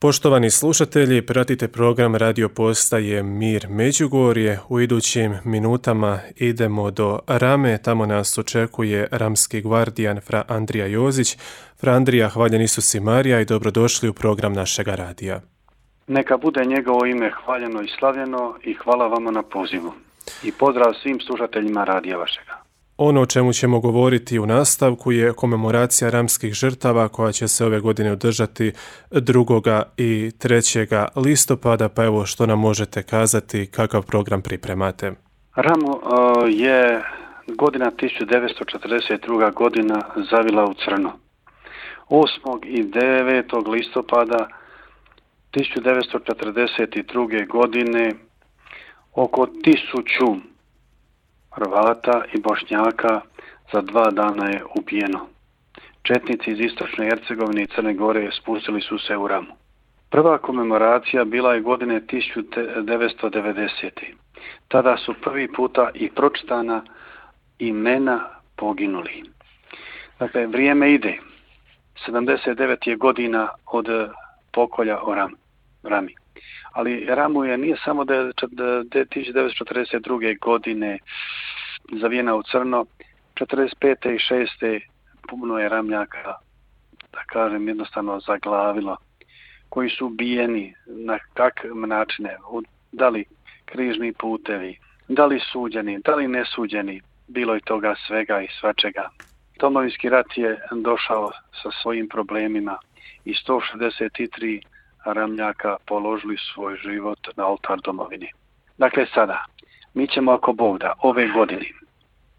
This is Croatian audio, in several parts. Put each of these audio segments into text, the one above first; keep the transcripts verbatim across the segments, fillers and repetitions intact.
Poštovani slušatelji, pratite program radio postaje Mir Međugorje. U idućim minutama idemo do Rame, tamo nas očekuje ramski gvardijan fra Andrija Jozić. Fra Andrija, hvaljen Isus i Marija i dobrodošli u program našega radija. Neka bude njegovo ime hvaljeno i slavljeno i hvala vama na pozivu. I pozdrav svim slušateljima radija vašega. Ono o čemu ćemo govoriti u nastavku je komemoracija ramskih žrtava koja će se ove godine održati drugoga i trećega listopada, pa evo što nam možete kazati, kakav program pripremate? Ramu uh, je godina tisuću devetsto četrdeset druga godina zavila u crno. osmog i devetog listopada tisuću devetsto četrdeset druge godine oko tisuću Hrvata i Bošnjaka za dva dana je ubijeno. Četnici iz istočne Hercegovine i Crne Gore spustili su se u Ramu. Prva komemoracija bila je godine tisuću devetsto devedesete. Tada su prvi puta i pročitana imena poginuli. Dakle, vrijeme ide. sedamdeset devet je godina od pokolja o Ram, Rami. Ali Ramu je nije samo tisuću devetsto četrdeset druge godine zavijena u crno, četrdeset pete i šeste puno je Ramljaka, da kažem jednostavno, zaglavilo, koji su ubijeni na kakve načine, da li križni putevi, da li suđeni, da li nesuđeni, bilo je toga svega i svačega. Domovinski rat je došao sa svojim problemima i sto šezdeset tri Ramljaka položili svoj život na oltar domovini. Dakle, sada, mi ćemo, ako Bog da, ove godine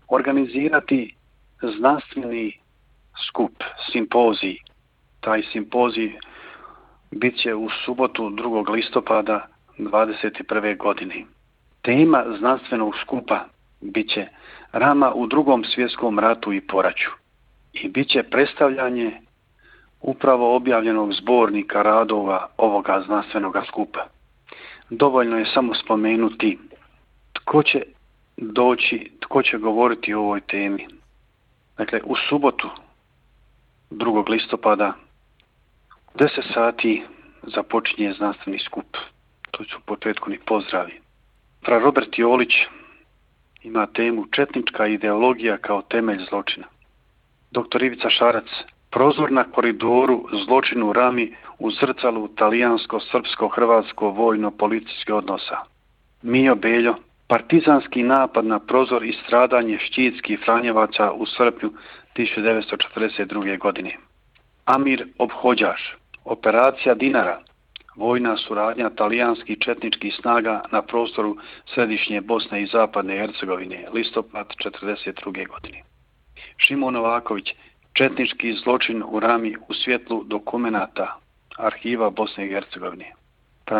organizirati znanstveni skup, simpozij. Taj simpozij bit će u subotu drugog listopada dvadeset prve godine. Tema znanstvenog skupa bit će Rama u drugom svjetskom ratu i poraću. I bit će predstavljanje upravo objavljenog zbornika radova ovoga znanstvenog skupa. Dovoljno je samo spomenuti tko će doći, tko će govoriti o ovoj temi. Dakle, u subotu drugog listopada u deset sati započinje znanstveni skup. To su u početku ni pozdravi. Fra Robert Jolić ima temu Četnička ideologija kao temelj zločina. Doktor Ivica Šarac, Prozor na koridoru zločinu Rami u zrcalu talijansko-srpsko-hrvatsko vojno-policijskih odnosa. Mijo Beljo, partizanski napad na Prozor i stradanje štitskih Franjevaca u srpnju tisuću devetsto četrdeset druge godine. Amir Obhođaš, operacija Dinara, vojna suradnja talijanskih četničkih snaga na prostoru središnje Bosne i zapadne Hercegovine, listopad četrdeset druge godine. Šimon Novaković, četnički zločin u Rami u svjetlu dokumenata arhiva Bosne i Hercegovine.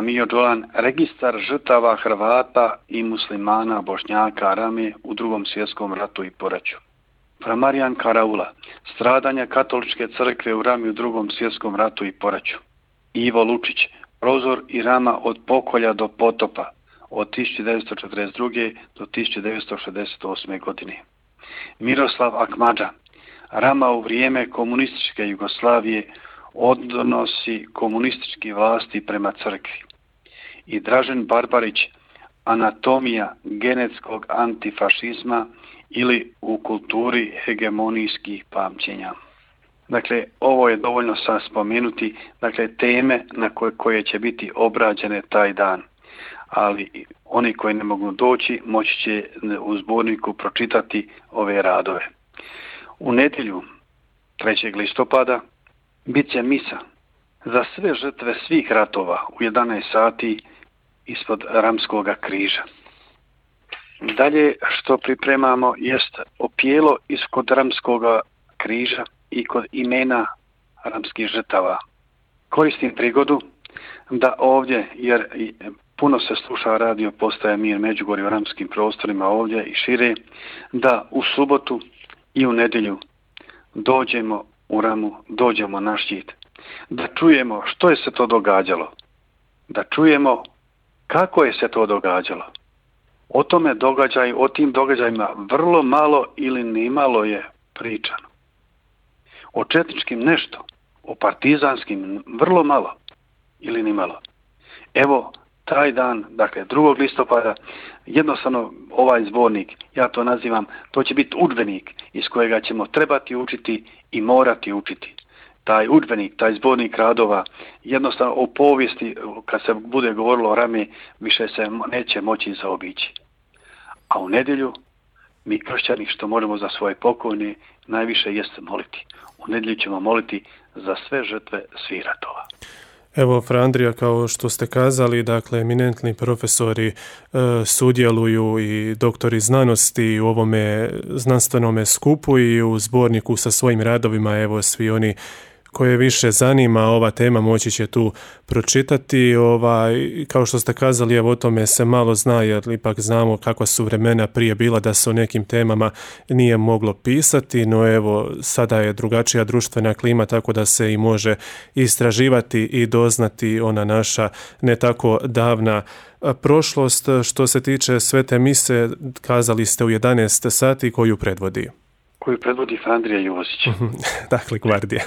Mijo Đolan, registar žrtava Hrvata i muslimana Bošnjaka Rame u drugom svjetskom ratu i poraću. Marijan Karaula, stradanja katoličke crkve u Rami u drugom svjetskom ratu i poraću. Ivo Lučić, Prozor i Rama od pokolja do potopa od tisuću devetsto četrdeset druge do tisuću devetsto šezdeset osme godine. Miroslav Akmadža, Rama u vrijeme komunističke Jugoslavije, odnosi komunistički vlasti prema crkvi. I Dražen Barbarić, anatomija genetskog antifašizma ili u kulturi hegemonijskih pamćenja. Dakle, ovo je dovoljno sad spomenuti, dakle, teme na koje, koje će biti obrađene taj dan. Ali oni koji ne mogu doći moći će u zborniku pročitati ove radove. U nedjelju trećeg listopada bit će misa za sve žrtve svih ratova u jedanaest sati ispod Ramskoga križa. Dalje što pripremamo jest opijelo ispod Ramskoga križa i kod imena ramskih žrtava. Koristim prigodu da ovdje, jer puno se sluša radio postaje Mir Međugorje u ramskim prostorima ovdje i šire, da u subotu i u nedjelju dođemo u Ramu, dođemo na štit, da čujemo što je se to događalo, da čujemo kako je se to događalo. O tome događaju, o tim događajima vrlo malo ili nimalo je pričano. O četničkim nešto, o partizanskim vrlo malo. ili ni malo. Evo, taj dan, dakle drugog listopada, jednostavno ovaj zbornik, ja to nazivam, to će biti udžbenik iz kojega ćemo trebati učiti i morati učiti. Taj udžbenik, taj zbornik radova, jednostavno o povijesti, kad se bude govorilo o Rami, više se neće moći zaobići. A u nedjelju, mi kršćani što možemo za svoje pokojne, najviše jeste moliti. U nedjelju ćemo moliti za sve žrtve svih ratova. Evo, Fra Andrija, kao što ste kazali, dakle, eminentni profesori e, sudjeluju i doktori znanosti u ovome znanstvenome skupu i u zborniku sa svojim radovima. Evo, svi oni koje više zanima ova tema moći će tu pročitati. Ovaj, kao što ste kazali, evo o tome se malo zna, jer ipak znamo kakva su vremena prije bila da se o nekim temama nije moglo pisati, no evo sada je drugačija društvena klima, tako da se i može istraživati i doznati ona naša ne tako davna prošlost. Što se tiče Svete mise, kazali ste u jedanaest sati, koju predvodi? Koju predvodi Fra Andrija Jozić. Dakle, gvardija.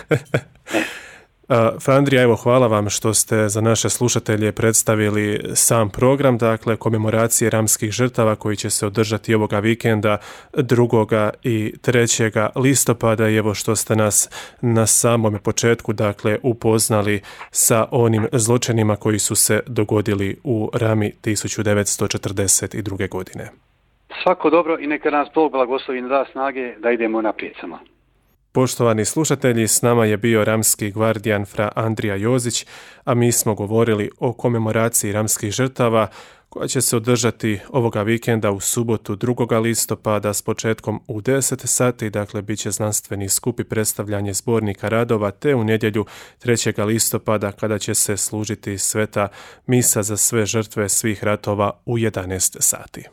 Fra Andrija, evo, hvala vam što ste za naše slušatelje predstavili sam program, dakle, komemoracije ramskih žrtava koji će se održati ovoga vikenda drugoga i trećega listopada i evo što ste nas na samome početku, dakle, upoznali sa onim zločinima koji su se dogodili u Rami tisuću devetsto četrdeset druge. godine. Svako dobro i neka nas Bog blagoslovi i da snage da idemo naprijed samo. Poštovani slušatelji, s nama je bio ramski gvardijan Fra Andrija Jozić, a mi smo govorili o komemoraciji ramskih žrtava koja će se održati ovoga vikenda u subotu drugoga listopada s početkom u deset sati, dakle bit će znanstveni skup i predstavljanje zbornika radova, te u nedjelju trećega listopada kada će se služiti sveta misa za sve žrtve svih ratova u jedanaest sati.